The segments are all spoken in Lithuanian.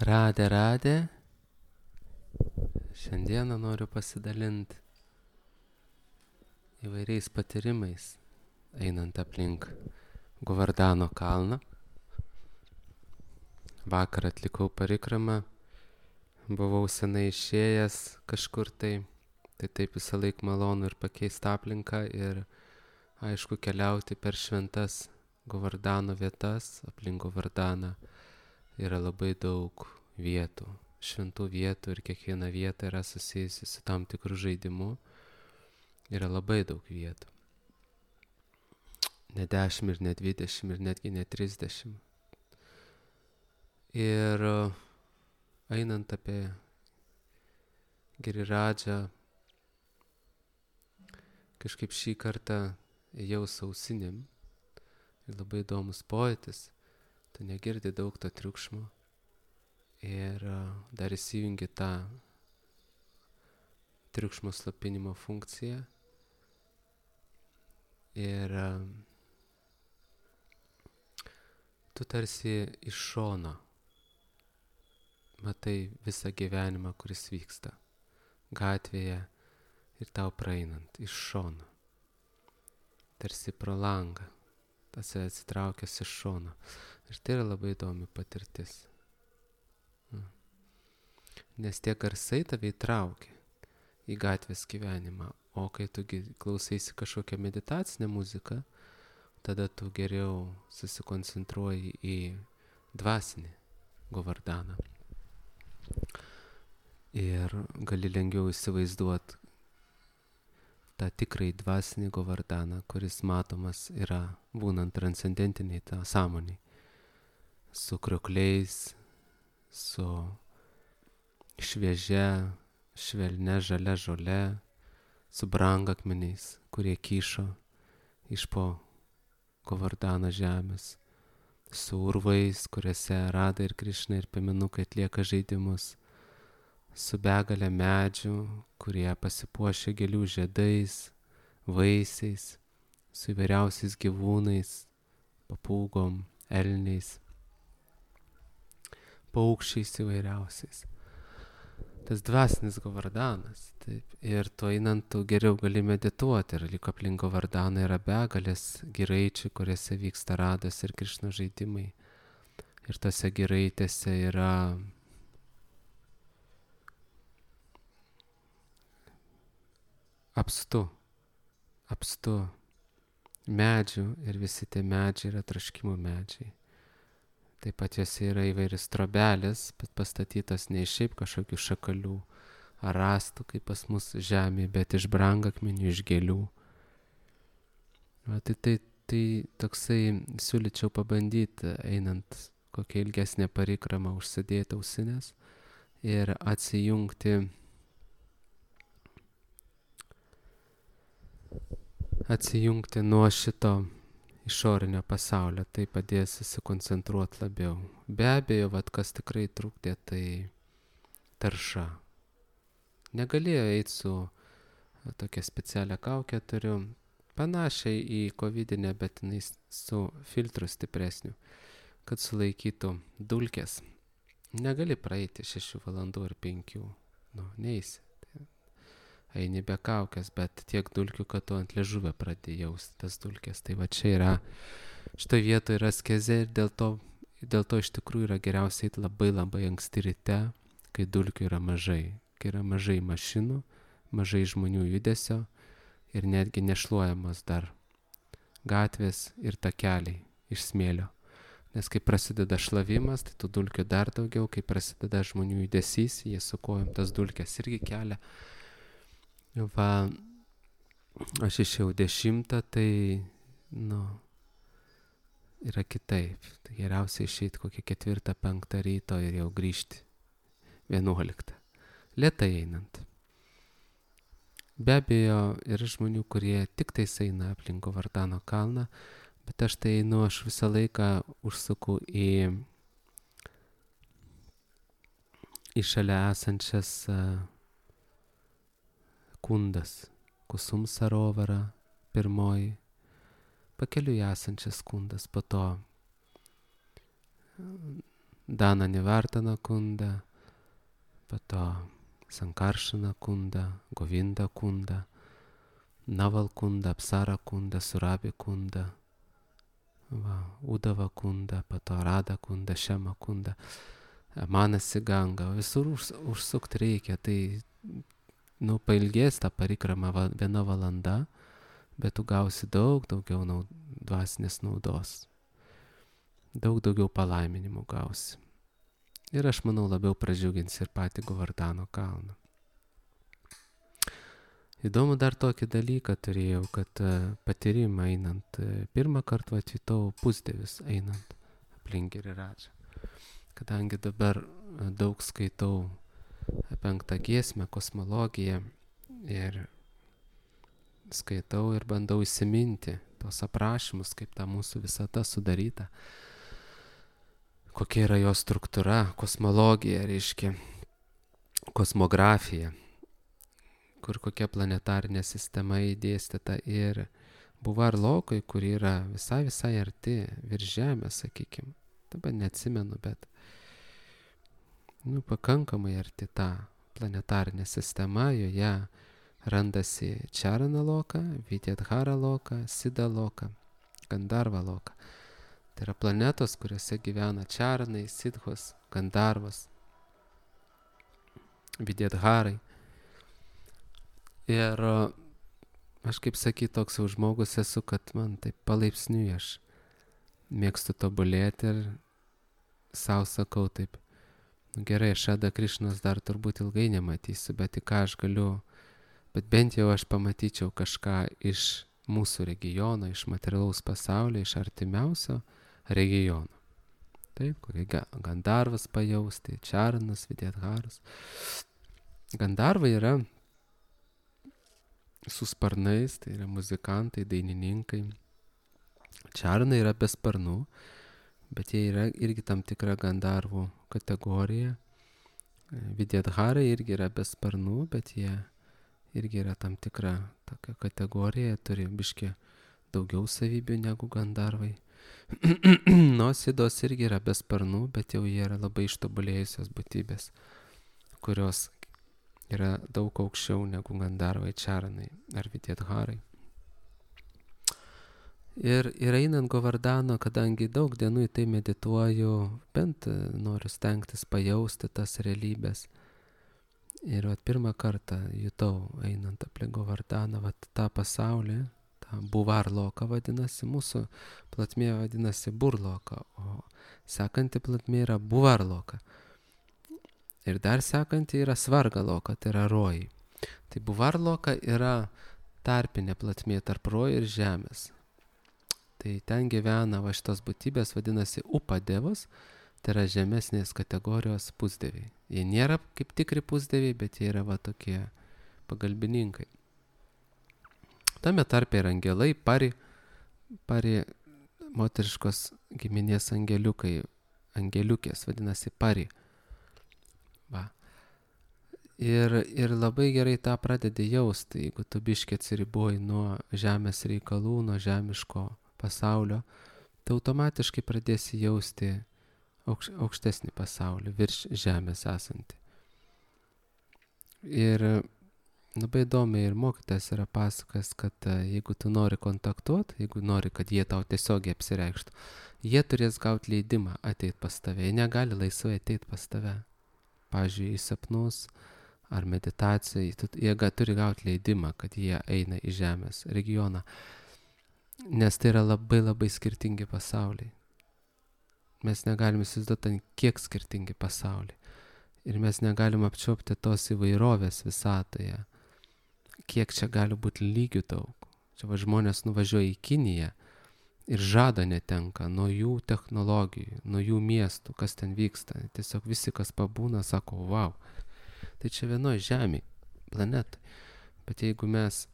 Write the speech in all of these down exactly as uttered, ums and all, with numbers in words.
Radė, radė. Šiandieną noriu pasidalinti įvairiais patyrimais, einant aplink Govardhano kalną. Vakar atlikau parikramą, buvau senai išėjęs kažkur tai, tai taip visą laik malonu ir pakeisti aplinką ir aišku keliauti per šventas Govardhano vietas. Aplink Govardhaną yra labai daug vietų, šventų vietų ir kiekviena vieta yra susijusi su tam tikru žaidimu. Yra labai daug vietų. Ne dešimt ir ne dvidešimt ir netgi ne trisdešimt. Ir einant apie Giriradžą, kažkaip šį kartą ėjau su ausinėm ir labai įdomus pojūtis. Tu negirdi daug to triukšmo ir dar įsijungi tą triukšmo slopinimo funkciją ir tu tarsi iš šono matai visą gyvenimą, kuris vyksta gatvėje ir tau praeinant iš šono, tarsi pro langą, tas atsitraukęs iš šono. Ir tai yra labai įdomi patirtis. Nes tie garsai tave įtraukia į gatvės gyvenimą, o kai tu klausaisi kažkokią meditacinę muziką, tada tu geriau susikoncentruoji į dvasinį Govardhaną. Ir gali lengviau įsivaizduoti tą tikrai dvasinį Govardhaną, kuris matomas yra būnant transcendentiniai tą sąmonį, su kriokliais, su šviežia, švelnia žalia žole, su brangakmeniais, kurie kyšo iš po Govardhano žemės, su urvais, kuriuose Radha ir Krišna ir piemenukai atlieka žaidimus, su begalė medžių, kurie pasipuošia gėlių žiedais, vaisiais, su įvairiausiais gyvūnais, papūgom, elniais, paukščiais įvairiausiais. Tas dvasinis Govardhanas, taip, ir tu einant tu geriau gali medituoti, ir lyg aplink Govardhaną yra begalės giraičių, kuriuose vyksta Radhos ir Krišnos žaidimai. Ir tose giraitėse yra apstu, apstu medžių ir visi tie medžiai yra troškimų medžiai. Taip pat jose yra įvairios trobelės, bet pastatytos ne iš šiaip kažkokių šakalių ar rąstų, kaip pas mus žemėje, bet iš brangakmenių, iš gėlių. Va, tai, tai, tai toksai siūlyčiau pabandyti, einant kokią ilgesnę parikramą, užsidėti ausinės ir atsijungti atsijungti nuo šito išorinio pasaulio, tai padės susikoncentruoti labiau. Be abejo, vat, kas tikrai trukdė, tai tarša. Negalėjo eiti su tokia specialia kauke, turiu panašiai į covidinę, bet jinai su filtru stipresniu, kad sulaikytų dulkės. Negali praeiti šešių valandų ir penkių, nu, neisi. Eini be kaukės, bet tiek dulkių, kad tu ant liežuvio pradėjai jausti tas dulkės. Tai va čia yra, šitoje vietoje yra askezė ir dėl to, dėl to iš tikrųjų yra geriausiai eiti labai labai anksti ryte, kai dulkių yra mažai. Kai yra mažai mašinų, mažai žmonių judesio ir netgi nešluojamos dar gatvės ir takeliai iš smėlio. Nes kai prasideda šlavimas, tai tų dulkių dar daugiau, kai prasideda žmonių judesys, jie su kojom tas dulkės irgi kelia. Va, aš išėjau dešimtą, tai, nu, yra kitaip. Tai geriausia išeiti kokią ketvirtą, penktą ryto ir jau grįžti vienuoliktą. Lėtai einant. Be abejo, yra žmonių, kurie tik tais eina aplink Govardhano kalną, bet aš tai einu, aš visą laiką užsuku į, į šalia esančias uh, kundas, Kusum Sarovara, pirmoji, pakeliui esančias kundas, po to Dana Nivartana kunda, po to Sankaršana kunda, Govinda kunda, Naval kunda, Apsara kunda, Surabi kunda, va, Udava kunda, po to Rada kunda, Šema kunda, Manasi Ganga. Visur už, užsukti reikia, tai nu, pailgės tą parikramą va, viena valanda, bet tu gausi daug daugiau naud, dvasinės naudos. Daug daugiau palaiminimų gausi. Ir aš manau labiau pradžiugins ir patį Govardhano kalną. Įdomu dar tokį dalyką turėjau, kad patyrimą einant, pirmą kartą atvykau pusdievis einant aplink Giriradžą. Kadangi dabar daug skaitau penktą giesmę, kosmologiją ir skaitau ir bandau įsiminti tos aprašymus, kaip ta mūsų visata sudaryta, kokia yra jo struktūra, kosmologija, reiškia kosmografija, kur kokia planetarinė sistema įdėstyta ir Buvar Lokoj, kur yra visai visai arti virš Žemės, sakykime. Dabar neatsimenu, bet nu, pakankamai arti ta planetarinė sistema, joje randasi Čarana Loka, Vidyadhara Loka, Sida Loka, Gandarva Loka. Tai yra planetos, kuriuose gyvena Čaranai, Sidhos, Gandarvas, Vidyadharai. Ir aš, kaip sakyt, toks jau žmogus esu, kad man taip palaipsniui aš mėgstu tobulėti ir sau sakau taip, nu gerai, aš Šada Krišnos dar turbūt ilgai nematysiu, bet į ką aš galiu, bet bent jau aš pamatyčiau kažką iš mūsų regiono, iš materialaus pasaulio, iš artimiausio regiono. Taip, kokie Gandarvas pajausti, Čaranas, Vidyadharas. Gandarvai yra su sparnais, tai yra muzikantai, dainininkai. Čaranai yra be sparnų, bet jie yra irgi tam tikra Gandarvų kategorija. Vidyadharai irgi yra be sparnų, bet jie irgi yra tam tikra tokia kategorija, turi biškį daugiau savybių negu Gandarvai. No, Sidos irgi yra be sparnų, bet jau jie yra labai ištobulėjusios būtybės, kurios yra daug aukščiau negu Gandarvai, Čaranai ar Vidyadharai. Ir, ir einant Govardhano, kadangi daug dienų į tai medituoju, bent noriu stengtis pajausti tas realybės. Ir vat, pirmą kartą jutau, einant aplink Govardhaną, vat, tą pasaulį, tą Buvar Loka vadinasi, mūsų platmė vadinasi Burloka, o sekanti platmė yra Buvar Loka. Ir dar sekanti yra Svarga Loka, tai yra rojai. Tai Buvar Loka yra tarpinė platmė tarp rojų ir žemės. Tai ten gyvena va šitos būtybės, vadinasi Upadevos, tai yra žemesnės kategorijos pusdieviai. Jie nėra kaip tikri pusdieviai, bet jie yra va tokie pagalbininkai. Tame tarpe yra angelai, pari, pari moteriškos giminės angeliukai, angeliukės, vadinasi pari. Va. Ir, ir labai gerai tą pradedi jausti, jeigu tu biškį atsiriboji nuo žemės reikalų, nuo žemiško pasaulio, tai automatiškai pradėsi jausti aukš, aukštesnį pasaulį, virš žemės esantį. Ir labai įdomiai ir mokytas yra pasakas, kad jeigu tu nori kontaktuoti, jeigu nori, kad jie tau tiesiogiai apsireikštų, jie turės gauti leidimą ateiti pas tave, jie negali laisvai ateiti pas tave. Pavyzdžiui, į sapnus ar meditaciją, jie turi gauti leidimą, kad jie eina į žemės regioną, nes tai yra labai labai skirtingi pasauliai. Mes negalim įsivaizduoti, kiek skirtingi pasauliai. Ir mes negalim apčiuopti tos įvairovės visatoje, kiek čia gali būti lygių daug. Čia va žmonės nuvažiuoja į Kiniją ir žada netenka nuo jų technologijų, nuo jų miestų, kas ten vyksta. Tiesiog visi, kas pabūna, sako, wow, tai čia vienoje žemėje, planetai. Bet jeigu mes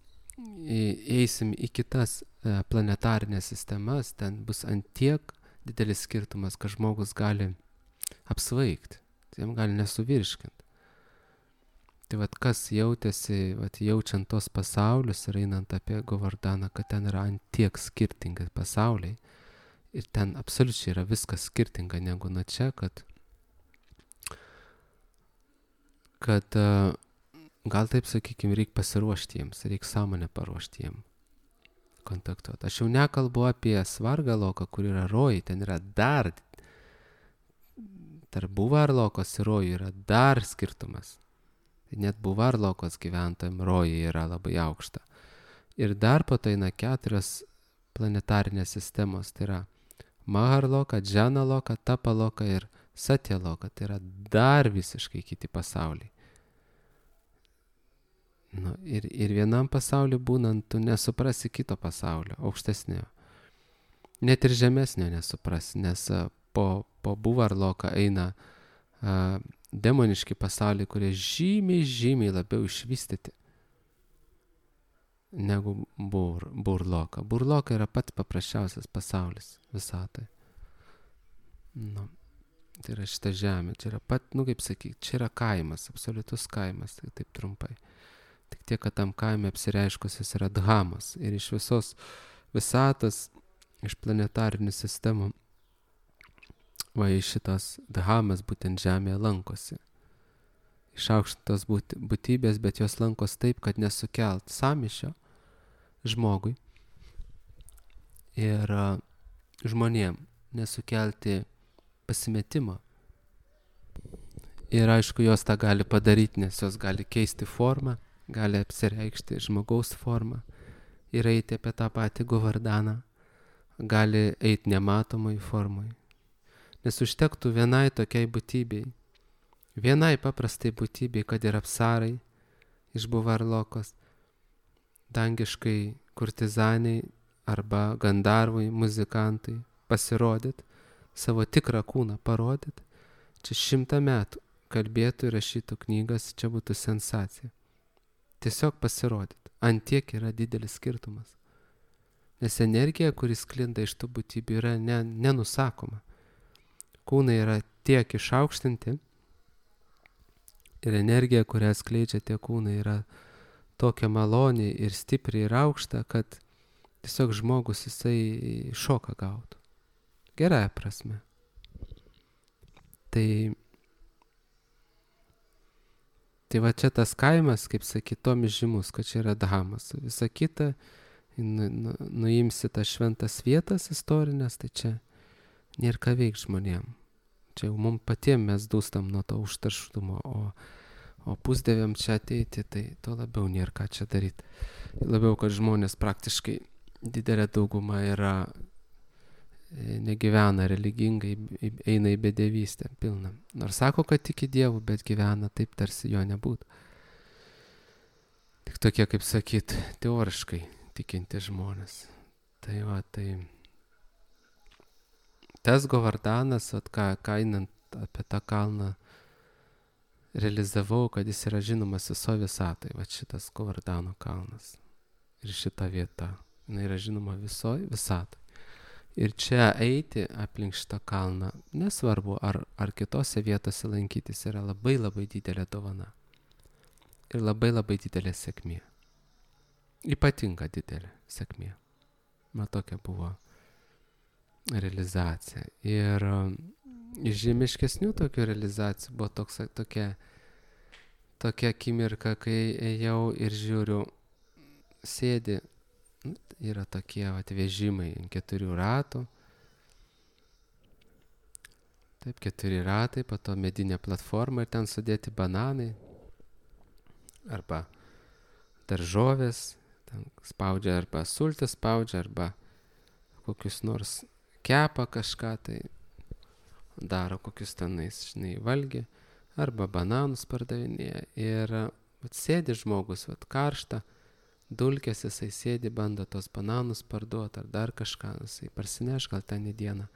eisim į kitas planetarinės sistemas, ten bus ant tiek didelis skirtumas, kad žmogus gali apsvaigti, jam gali nesuvirškinti. Tai vat kas jautėsi, vat jaučiant tos pasaulius ir einant apie Govardhaną, kad ten yra ant tiek skirtingi pasauliai ir ten absoliučiai yra viskas skirtinga negu nuo čia, kad kad gal taip sakykime, reikia pasiruošti jiems, reikia sąmonę paruošti jiems kontaktuoti. Aš jau nekalbu apie svargą loką, kur yra rojai, ten yra dar, tarp buvarlokos ir rojų yra dar skirtumas. Net buvarlokos gyventojams rojai yra labai aukšta. Ir dar po to eina keturios planetarinės sistemos, tai yra Maharloka, Džanaloka, Tapaloka ir Satyaloka, tai yra dar visiškai kiti pasauliai. Nu, ir, ir vienam pasauliu būnant, tu nesuprasi kito pasaulio, aukštesnio. Net ir žemesnio nesuprasi, nes a, po, po Buvarloką eina a, demoniški pasauliai, kurie žymiai, žymiai labiau išvystyti negu bur, Burloka. Burloka yra pats paprasčiausias pasaulis visatoje. Nu, tai yra šita žemė, čia yra pat, nu kaip sakyti, čia yra kaimas, absoliutus kaimas, tai taip trumpai. Tik tiek, kad tam kaime apsireiškusios yra dhamos ir iš visos visatos, iš planetarinių sistemų, va į šitos dhamas būtent žemėje lankosi. Išaukštintos būt, būtybės, bet jos lankos taip, kad nesukelt sąmyšio žmogui ir uh, žmonėm nesukelti pasimetimo. Ir aišku, jos tą gali padaryti, nes jos gali keisti formą, gali apsireikšti žmogaus formą ir eiti apie tą patį Govardaną, gali eiti nematomai formai. Nes užtektų vienai tokiai būtybei, vienai paprastai būtybei, kad ir apsarai iš Buvarlokos, dangiškai kurtizaniai arba gandarvai, muzikantai pasirodyt, savo tikrą kūną parodyt, čia šimtą metų kalbėtų ir rašytų knygas, čia būtų sensacija. Tiesiog pasirodyt. Ant tiek yra didelis skirtumas. Nes energija, kuris sklinda iš tų būtybių, yra ne, nenusakoma. Kūnai yra tiek išaukštinti ir energija, kurią skleidžia tie kūnai, yra tokia maloni ir stipri ir aukšta, kad tiesiog žmogus jisai šoką gautų. Gerąja prasme. Tai Tai va čia tas kaimas, kaip sakytom, žymus, kad čia yra dhamas. Visa kita, nu, nu, nuimsi tas šventas vietas istorinės, tai čia nėra ką veikti žmonėm. Čia jau mums patiem mes dūstam nuo to užterštumo, o, o pusdieviam čia ateiti, tai to labiau nėra ką čia daryti. Labiau, kad žmonės praktiškai didelė dauguma yra negyvena religingai, eina į bedevystę pilną. Nors sako, kad tiki Dievu, bet gyvena taip, tarsi jo nebūtų. Tik tokie, kaip sakyt, teoriškai tikinti žmonės. Tai va, tai tas Govardanas, vat, ką, ką einant apie tą kalną realizavau, kad jis yra žinomas viso visatai. Va šitas Govardano kalnas ir šita vieta. Jis yra žinoma viso visatai. Ir čia eiti aplink šitą kalną, nesvarbu, ar, ar kitose vietose lankytis, yra labai labai didelė dovana. Ir labai labai didelė sėkmė. Ypatinga didelė sėkmė. Man tokia buvo realizacija. Ir iš žemiškesnių tokių realizacijų buvo toks, tokia, tokia akimirka, kai ėjau ir žiūriu, sėdi, yra tokie vat, vežimai ant keturių ratų. Taip, keturi ratai, po to medinė platforma ir ten sudėti bananai arba daržovės, ten spaudžia arba sultis spaudžia, arba kokius nors kepa kažką, tai daro kokius tenais, žinai, valgį, arba bananus pardavinėja. Ir vat, sėdi žmogus, vat, karšta, dulkės, jisai sėdi, bando tos bananus parduoti ar dar kažką, jisai parsineš gal ten į dieną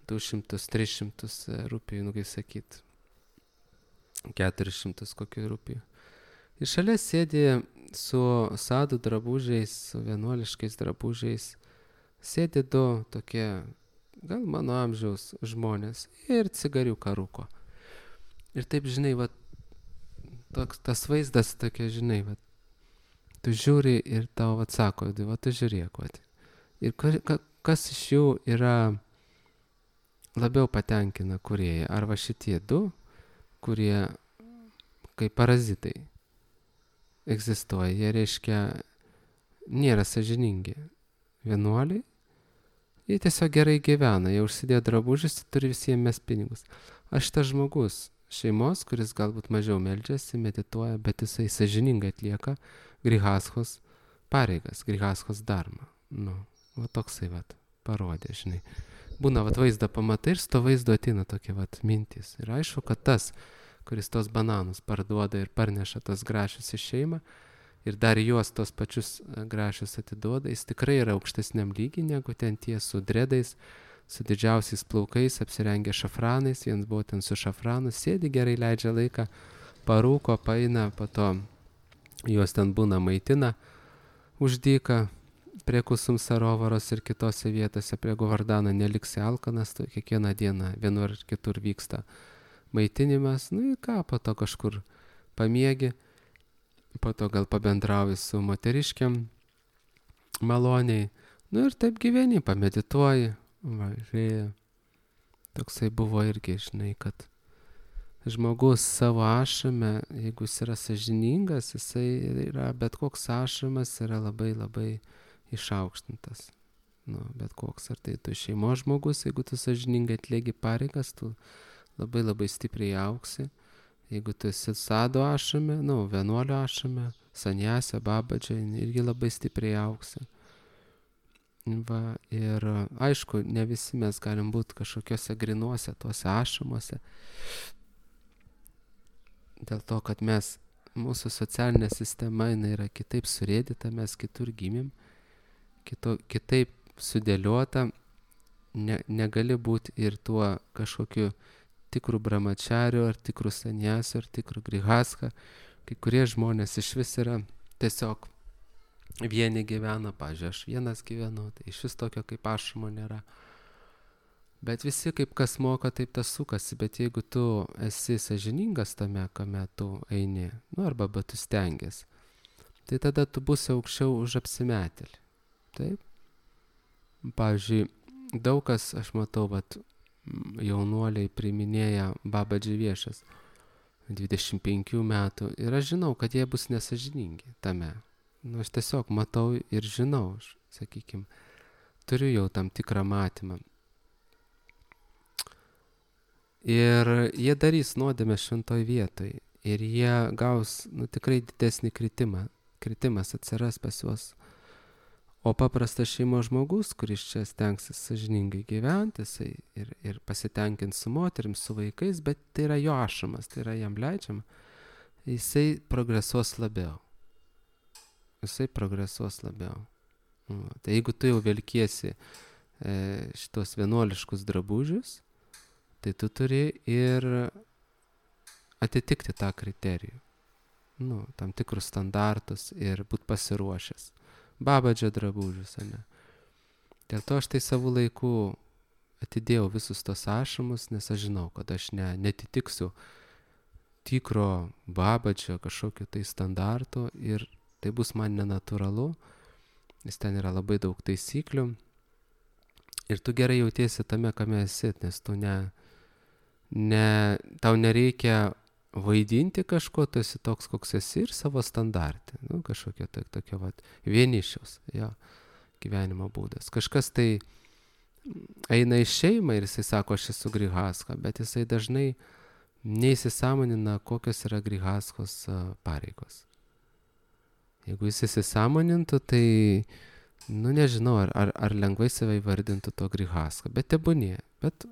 du šimtus, tris šimtus rupijų, nu kaip sakyt, keturis šimtus kokių rupijų. Ir šalia sėdi su sadų drabužiais, su vienuoliškais drabužiais, sėdi du tokie, gal mano amžiaus žmonės ir cigariuką rūko. Ir taip, žinai, va, toks, tas vaizdas tokia, žinai, va, tu žiūri ir tau atsako, va, tu žiūrėk, va. Ir kas iš jų yra labiau patenkina kūrėją? Ar va šitie du, kurie kaip parazitai egzistuoja. Jie, reiškia, nėra sąžiningi vienuoliai. Jie tiesiog gerai gyvena, jie užsidėjo drabužius, turi visiems mes pinigus. Aš tas žmogus šeimos, kuris galbūt mažiau meldžiasi, medituoja, bet jisai sąžiningai atlieka grihaschos pareigas, grihaschos dharmą. Nu, va toksai vat parodė, žinai. Būna vat vaizdą pamatai ir su to vaizdu ateina tokie vat mintys. Ir aišku, kad tas, kuris tos bananus parduoda ir parneša tos grašius į šeimą ir dar juos tos pačius grašius atiduoda, jis tikrai yra aukštesniam lygiai negu ten tie su dredais, su didžiausiais plaukais, apsirengę šafranais, vienas buvo ten su šafranu, sėdi gerai, leidžia laiką, parūko, paeina, po to juos ten būna maitina už dyką, prie Kusum Sarovaros ir kitose vietose, prie Govardhano neliksi alkanas, tai kiekvieną dieną vienur ir kitur vyksta maitinimas, nu ir ką, po to kažkur pamiegi, po to gal pabendrauji su moteriškiam maloniai, nu ir taip gyveni, pamedituoji, va, žiūrėjai, toksai buvo irgi, žinai, kad žmogus savo ašrame, jeigu jis yra sąžiningas, jisai yra, bet koks ašramas yra labai labai išaukštintas. Nu, bet koks, ar tai tu šeimos žmogus, jeigu tu sąžiningai atlieki pareigas, tu labai labai stipriai auksi. Jeigu tu esi sado ašrame, nu, vienuolio ašrame, sanjasė, babadžia, irgi labai stipriai auksi. Va, ir aišku, ne visi mes galim būti kažkokiuose grinuose, tuose ašramuose. Dėl to, kad mes, mūsų socialinė sistema, jinai yra kitaip surėdyta, mes kitur gimėm, kito, kitaip sudėliota, ne, negali būti ir tuo kažkokiu tikrų brahmachariu, ar tikrų sanjasiu, ar tikrų grihaska. Kai kurie žmonės iš vis yra tiesiog vieni gyvena, pavyzdžiui, aš vienas gyvenu, tai iš vis tokio kaip ašramo nėra. Bet visi kaip kas moka, taip tas sukasi, bet jeigu tu esi sąžiningas tame, kame tu eini, nu arba bet tu stengiasi, tai tada tu būsi aukščiau už apsimetėlį. Taip? Pavyzdžiui, daug kas, aš matau, vat, jaunuoliai priiminėja babadži viešas dvidešimt penkių metų ir aš žinau, kad jie bus nesąžiningi tame. Nu, aš tiesiog matau ir žinau, aš, sakykim, turiu jau tam tikrą matymą. Ir jie darys nuodėmę šventoj vietoj ir jie gaus, nu, tikrai didesnį kritimą. Kritimas atsiras pas juos. O paprastas šeimos žmogus, kuris čia stengsis sąžiningai gyventi, jisai ir, ir pasitenkins su moterim, su vaikais, bet tai yra jo ašramas, tai yra jam leidžiama, jisai progresuos labiau. Jisai progresuos labiau. O, tai jeigu tu jau velkiesi e, šitos vienuoliškus drabužius, tai tu turi ir atitikti tą kriterijų. Nu, tam tikrus standartus ir būt pasiruošęs. Babadžio drabužius, ane. Dėl to aš tai savo laiku atidėjau visus tos ašramus, nes aš žinau, kad aš ne, netitiksiu tikro babadžio kažkokio tai standarto ir tai bus man nenatūralu, nes ten yra labai daug taisyklių ir tu gerai jautiesi tame, kame esi, nes tu ne, ne, tau nereikia vaidinti kažko, tu esi toks, koks esi ir savo standartį, nu, kažkokio tai, tokio vat, vienišiaus, jo, gyvenimo būdas. Kažkas tai eina į šeimą ir jisai sako, aš esu grihaska, bet jisai dažnai neįsisąmonina, kokios yra grihaskos pareigos. Jeigu jis įsisąmonintų, tai, nu, nežinau, ar, ar, ar lengvai save įvardintų to grihaska, bet tebūnie, bet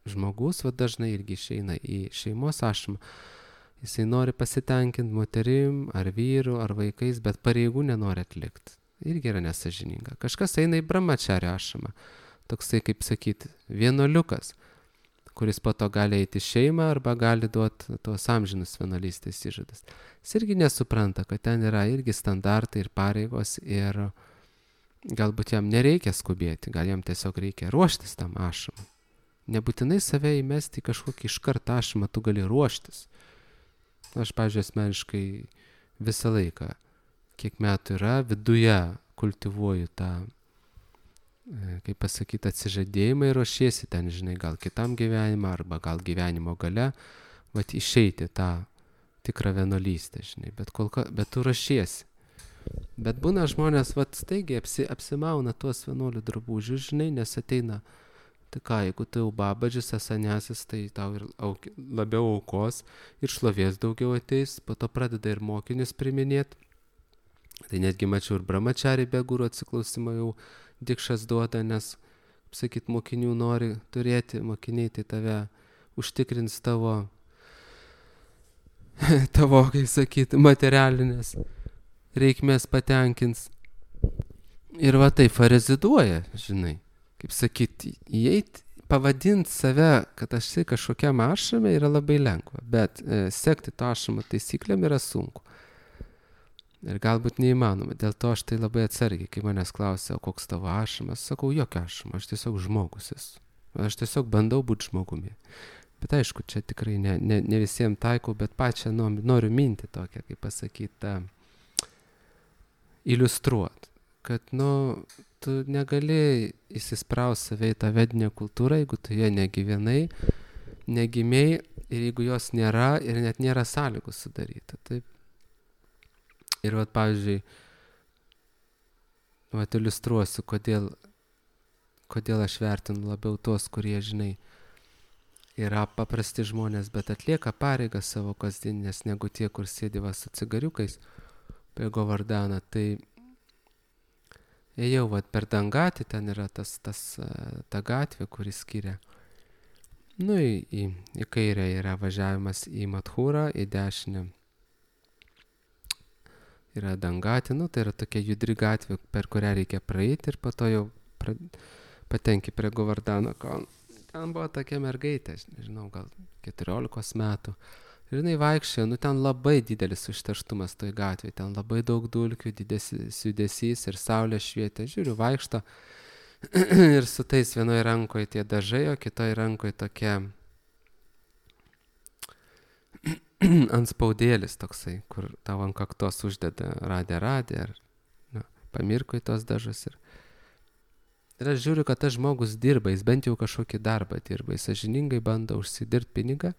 žmogus va dažnai irgi išeina į šeimos ašramą, jisai nori pasitenkinti moterim, ar vyru, ar vaikais, bet pareigų nenori atlikti. Irgi yra nesąžininga. Kažkas eina į brahmachario ašramą, toksai, kaip sakyti, vienuoliukas, kuris po to gali eiti į šeimą arba gali duoti tos amžinus vienuolystės įžadus. Jis irgi nesupranta, kad ten yra irgi standartai ir pareigos ir galbūt jam nereikia skubėti, gal jam tiesiog reikia ruoštis tam ašramui. Nebūtinai save įmesti į kažkokį iškart ašramą, tu gali ruoštis. Aš, pavyzdžiui, asmeniškai visą laiką, kiek metų yra, viduje kultivuoju tą, kaip pasakyti, atsižadėjimą ir ruošiesi ten, žinai, gal kitam gyvenimą arba gal gyvenimo gale, vat išeiti tą tikrą vienuolystę, žinai, bet, kol ka, bet tu rašiesi. Bet būna žmonės, vat, staigiai apsi, apsimauna tuos vienuolių drabužius, žinai, nes ateina, tai ką, jeigu tu jau babadžis, esanesis, tai tau ir auk, labiau aukos ir šlovės daugiau ateis, po to pradeda ir mokinius priminėti. Tai netgi mačiau ir brahmachari be guru atsiklausimą jau dikšas duoda, nes, kaip sakyt, mokinių nori turėti, mokiniai tai tave užtikrins tavo, tavo, kaip sakyt, materialinės reikmės patenkins. Ir va taip reziduoja, žinai, kaip sakyt, įeit, pavadinti save, kad aš tai kažkokiam ašrame yra labai lengva, bet e, sekti to ašramo taisyklėm yra sunku. Ir galbūt neįmanoma, dėl to aš tai labai atsargiai, kai manęs klausia, o koks tavo ašramas, sakau, jokio ašramo, aš tiesiog žmogus esu. Aš tiesiog bandau būti žmogumi. Bet aišku, čia tikrai ne, ne, ne visiems taikau, bet pačią noriu mintį tokią, kaip pasakyti, iliustruot, kad, nu, tu negali įsispraust save į tą vedinę kultūrą, jeigu tu ją negyvenai, negimiai ir jeigu jos nėra ir net nėra sąlygų sudaryta. Taip. Ir vat, pavyzdžiui, vat iliustruosiu, kodėl, kodėl aš vertinu labiau tuos, kurie, žinai, yra paprasti žmonės, bet atlieka pareigas savo kasdieninės, negu tie, kur sėdi va su cigariukais prie Govardaną. Tai ėjau vat per Dangatį, ten yra tas, tas, ta gatvė, kuri skiria. Nu, į, į, į kairę yra važiavimas į Mathūrą, į dešinę yra Dangatį, nu, tai yra tokia judri gatvė, per kurią reikia praeiti ir po to jau pra, patenki prie Govardano kalno. Ten buvo tokia mergaitė, nežinau, gal keturiolikos metų. Ir jinai vaikščiojo, nu ten labai didelis užterštumas toj gatvėje, ten labai daug dulkių, didelis judesys ir saulė švietė. Žiūriu, vaikšto ir su tais vienoje rankoje tie dažai, o kitoje rankoje tokia anspaudėlis toksai, kur tavo ant kaktos uždeda radė radė ar na, pamirko į tos dažus. Ir, ir aš žiūriu, kad tas žmogus dirba, jis bent jau kažkokį darbą dirba, jis sąžiningai bando užsidirbti pinigą,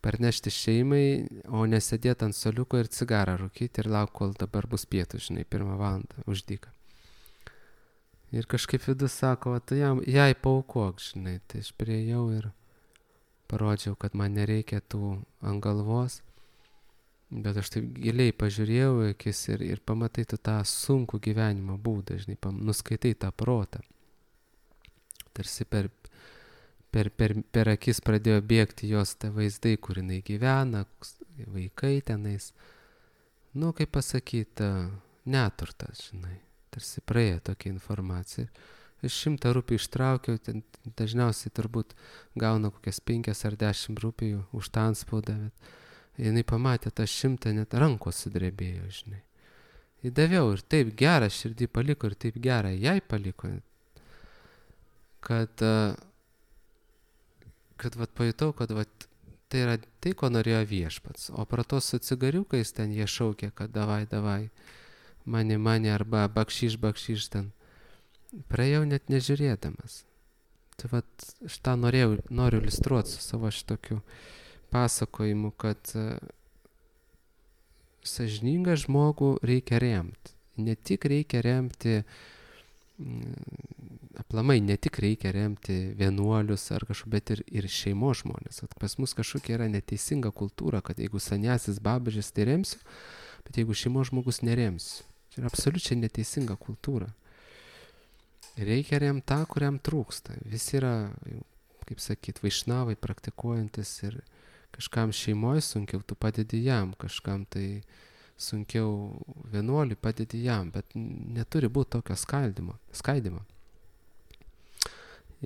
parnešti šeimai, o nesėdėti ant soliuko ir cigarą rūkyti ir lauk, kol dabar bus pietų, žinai, pirmą valandą už dyką. Ir kažkaip vidus sako, va, tai jam, jai paaukok, žinai, tai aš priėjau ir parodžiau, kad man nereikia tų ant galvos, bet aš taip giliai pažiūrėjau į akis ir, ir pamatai tu tą sunkų gyvenimo būdą, žinai, pam, nuskaitai tą protą. Tarsi per, per, per, per akis pradėjo bėgti jos tie vaizdai, kur jinai gyvena, vaikai tenais. Nu, kaip pasakyti, neturtas, žinai, tarsi praėjo tokia informacija. Aš šimtą rupijų ištraukiau, ten dažniausiai turbūt gauna kokias penkias ar dešimt rupijų už tą antspaudą, bet jinai pamatė tą šimtą, net rankos sudrebėjo, žinai. Įdaviau ir taip gerą širdį paliko ir taip gerą jai paliko, kad, kad vat pajutau, kad vat tai yra tai, ko norėjo viešpats. O pro to su cigariukais ten jie šaukė, kad davai, davai, mani, mani arba bakšyš, bakšyš ten. Praėjau net nežiūrėdamas. Tai vat šitą norėjau, noriu iliustruoti su savo šitokiu pasakojimu, kad uh, sąžiningą žmogų reikia remti. Ne tik reikia remti, mm, aplamai ne tik reikia remti vienuolius ar kažką, bet ir, ir šeimos žmonės. At pas mus kažkokia yra neteisinga kultūra, kad jeigu sanjasis babažis, tai remsiu, bet jeigu šeimos žmogus neremsiu. Tai yra absoliučiai neteisinga kultūra. Reikia remti tą, kuriam trūksta. Visi yra, kaip sakyt, vaišnavai praktikuojantis ir kažkam šeimoje sunkiau, tu padedi jam, kažkam tai sunkiau vienuoliui padedi jam, bet neturi būti tokio skaldimo, skaidimo.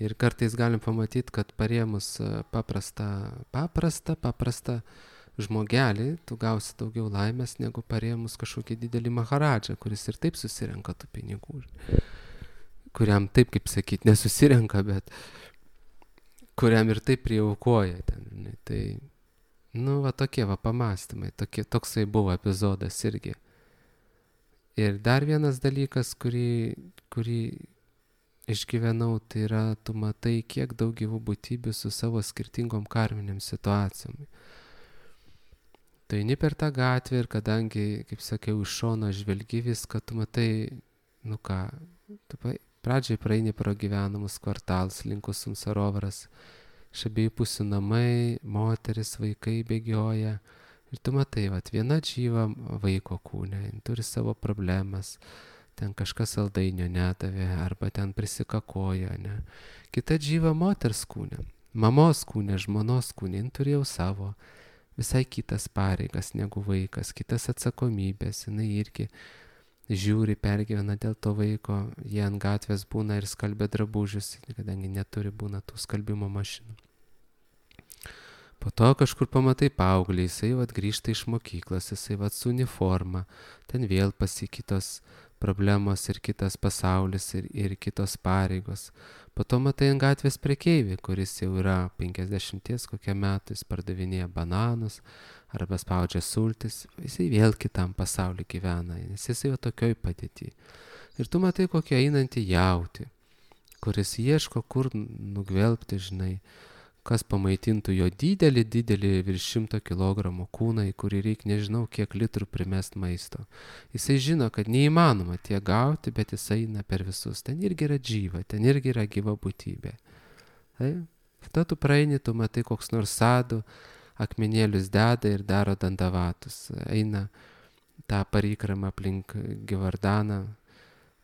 Ir kartais galim pamatyti, kad parėmus paprastą, paprastą, paprastą žmogelį, tu gausi daugiau laimės, negu parėmus kažkokį didelį maharadžą, kuris ir taip susirenka tų pinigų. Kuriam taip, kaip sakyt, nesusirenka, bet kuriam ir taip priaukoja ten, ne, tai, nu, va tokie va pamastymai, tokie, toksai buvo epizodas irgi. Ir dar vienas dalykas, kurį, kurį išgyvenau, tai yra, tu matai, kiek daug gyvų būtybių su savo skirtingom karminėm situacijom. tu eini per tą gatvę ir kadangi, kaip sakiau, iš šono žvelgi viską, tu matai, nu ką, tu pradžiai praeini pro gyvenamus kvartalus, linkus Sumsarovras, iš abiejų pusių namai, moteris, vaikai bėgioja ir tu matai, vat, viena džyva vaiko kūne, turi savo problemas, ten kažkas saldainio nedavė arba ten prisikakoja, ne. Kita džyva moters kūne, mamos kūne, žmonos kūne, jin turėjo savo visai kitas pareigas negu vaikas, kitas atsakomybės, jinai irgi žiūri, pergyvena dėl to vaiko, jie ant gatvės būna ir skalbia drabužius, kadangi neturi būna tų skalbimo mašinų. Po to kažkur pamatai paauglį, jisai vat grįžta iš mokyklos, jisai vat su uniforma, ten vėl pasikitos problemos ir kitas pasaulis ir, ir kitos pareigos. Po to matai ant gatvės prekeivį, kuris jau yra penkiasdešimties kokią metų, jis pardavinėja bananus arba spaudžia sultis, jisai vėl kitam pasauliu gyvena, nes jisai jau tokioj padėty. Ir tu matai kokią einantį jautį, kuris ieško, kur nugvelbti, žinai, kas pamaitintų jo didelį, didelį virš šimto kilogramų kūną, į kurį reikia nežinau kiek litrų primest maisto. Jisai žino, kad neįmanoma tiek gauti, bet jisai eina per visus. Ten irgi yra džyva, ten irgi yra gyva būtybė. Tai? Tada tu praeini, tu matai koks nors sadų, akmenėlius deda ir daro dandavatus. Eina tą parikramą aplink Givardaną,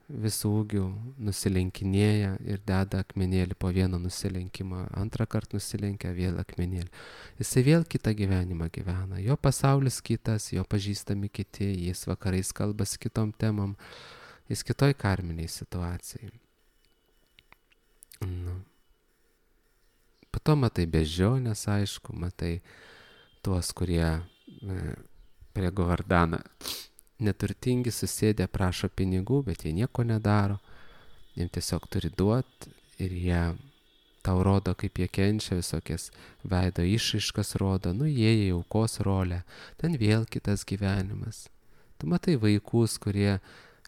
visų ūgių nusilenkinėja ir deda akmenėlį po vieno nusilenkimą, antrą kartą nusilenkia vėl akmenėlį. Jisai vėl kitą gyvenimą gyvena, jo pasaulis kitas, jo pažįstami kiti, jis vakarais kalbasi kitom temom, jis kitoj karminiai situacijai. Nu. Po to matai bežionės, aišku, matai tuos, kurie e, prie Govardano neturtingi susėdę prašo pinigų, bet jie nieko nedaro, jiems tiesiog turi duoti ir jie tau rodo, kaip jie kenčia, visokias veido išraiškas rodo, nu jie į aukos rolę, ten vėl kitas gyvenimas. Tu matai vaikus, kurie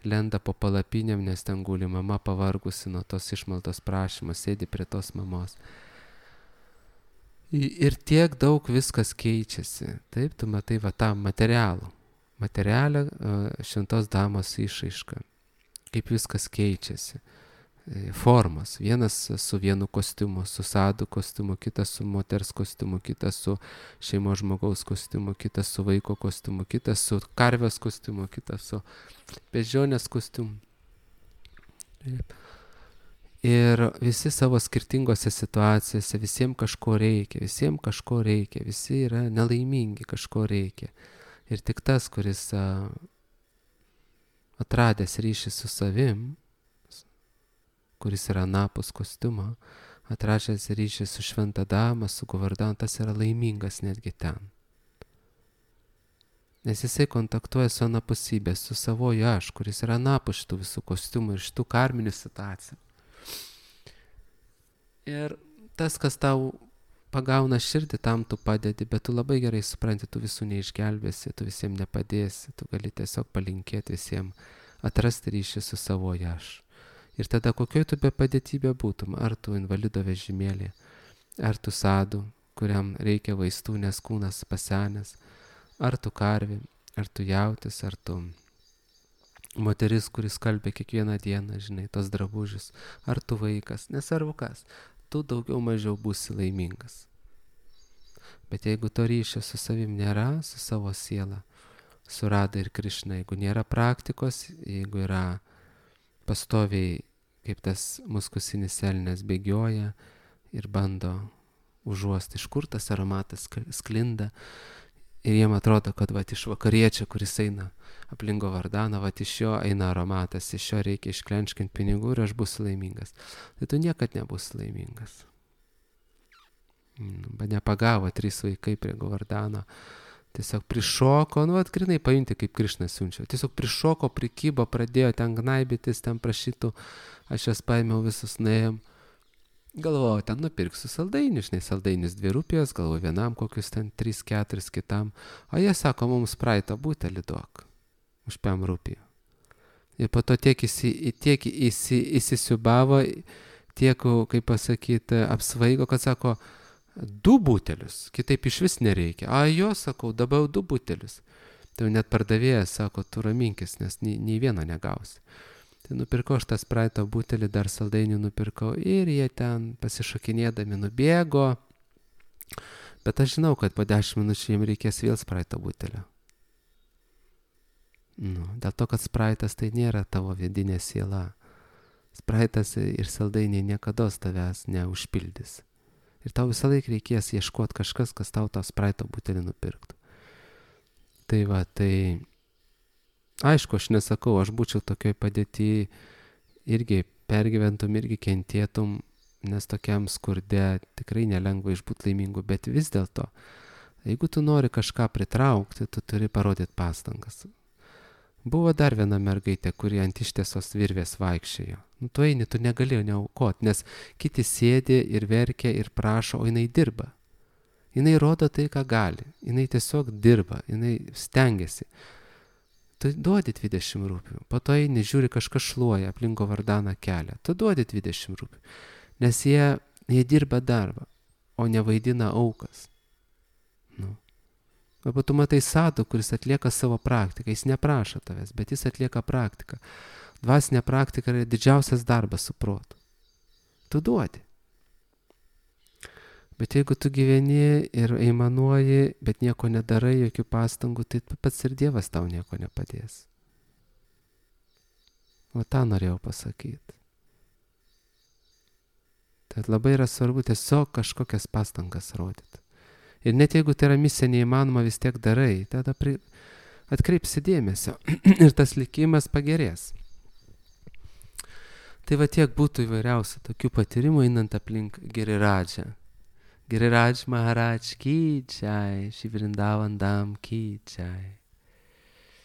lenda po palapinėm, nes ten guli mama pavargusi nuo tos išmaldos prašymo, sėdi prie tos mamos. Ir tiek daug viskas keičiasi, taip, tu matai va tą materialų. Materialią šventos damos išraišką, kaip viskas keičiasi, formos, vienas su vienu kostiumu, su sadų kostiumu, kitas su moters kostiumu, kitas su šeimos žmogaus kostiumu, kitas su vaiko kostiumu, kitas su karvės kostiumu, kitas su bežionės kostiumu. Ir visi savo skirtingose situacijose, visiems kažko reikia, visiems kažko reikia, visi yra nelaimingi, kažko reikia. Ir tik tas, kuris a, atradęs ryšį su savim, kuris yra anapus kostiumo, atradęs ryšį su šventa dama, su Govardanu, tas yra laimingas netgi ten. Nes jisai kontaktuoja su anapusybė, su savoju aš, kuris yra anapus šitų visų kostiumų ir šitų karminių situacijų. Ir tas, kas tau pagauna širdį, tam tu padedi, bet tu labai gerai supranti, tu visų neišgelbėsi, tu visiems nepadėsi, tu gali tiesiog palinkėti visiems atrasti ryšį su savoju aš. Ir tada kokioj tu be padėtybė būtum, ar tu invalido vežimėlį, ar tu sadų, kuriam reikia vaistų, nes kūnas pasenęs, ar tu karvė, ar tu jautis, ar tu moteris, kuris kalbė kiekvieną dieną, žinai, tos drabužius, ar tu vaikas, nesvarbu kas, tu daugiau mažiau būsi laimingas. Bet jeigu to ryšio su savim nėra, su savo siela, su Rada ir Krišna, jeigu nėra praktikos, jeigu yra pastoviai, kaip tas muskusinis elnias bėgioja ir bando užuosti, iš kur tas aromatas sklinda, ir jiem atrodo, kad vat iš vakariečio, kuris eina aplink Govardaną, vat iš jo eina aromatas, iš jo reikia išklenčkinti pinigų ir aš būsiu laimingas. Tai tu niekad nebūsi laimingas. Bet nepagavo trys vaikai prie Govardano, tiesiog prišoko, nu vat grinai paimti, kaip Krišna siunčia, tiesiog prišoko, prikybo, pradėjo ten gnaibytis, ten prašytų, aš jas paėmiau visus, nuėjom. Galvoju, ten nupirksiu saldainius, žinai, saldainius dvi rupijos, galvoju, vienam kokius ten tris keturis kitam, o jie sako, mums praeitą butelį duok, už pem rupijų. Ir po to tiek, įsi, tiek įsi, įsisiubavo, tiek, kaip pasakyti, apsvaigo, kad sako, Du butelius, kitaip iš vis nereikia. A, jo, sakau, dabar du butelius. Tai net pardavėjas sako, tu raminkis, nes nei, nei vieno negausi. Tai nupirkau aš tą spraito butelį, dar saldainių nupirkau ir jie ten pasišokinėdami nubėgo. Bet aš žinau, kad po dešimt minučių jiems reikės vėl spraito butelio. Nu, dėl to, kad spraitas tai nėra tavo vidinė siela. Spraitas ir saldainiai niekados tavęs neužpildys. Ir tau visą laiką reikės ieškoti kažkas, kas tau tą spraito butelį nupirktų. Tai va, tai aišku, aš nesakau, aš būčiau tokioj padėty, irgi pergyventum, irgi kentėtum, nes tokiam skurde tikrai nelengva išbūti laimingu, bet vis dėlto, jeigu tu nori kažką pritraukti, tu turi parodyti pastangas. Buvo dar viena mergaitė, kuri ant ištiesos virvės vaikščiojo. Nu, tu eini, tu negali neaukoti, nes kiti sėdi ir verkia ir prašo, o jinai dirba. Jinai rodo tai, ką gali. Jinai tiesiog dirba, jinai stengiasi. Tu duodi dvidešimt rupių, po to eini, žiūri, kažkas šluoja, aplinko vardaną kelią. Tu duodi dvidešimt rupių, nes jie, jie dirba darbą, o nevaidina aukas. Nu. Arba tu matai sadų, kuris atlieka savo praktiką, jis neprašo tavęs, bet jis atlieka praktiką. Dvasinė praktika yra didžiausias darbas su protu. Tu duodi. Bet jeigu tu gyveni ir eimanuoji, bet nieko nedarai, jokių pastangų, tai pats ir Dievas tau nieko nepadės. O tą norėjau pasakyti. Tai labai yra svarbu tiesiog kažkokias pastangas rodyti. Ir net jeigu tai yra misija neįmanoma, vis tiek darai, tada pri... atkreipsi dėmesio ir tas likimas pagerės. Tai va tiek būtų įvairiausių tokių patyrimų einant aplink Giriradžą. Giriraj Maharaj ki jai, Shri Vrindavan Dham ki jai.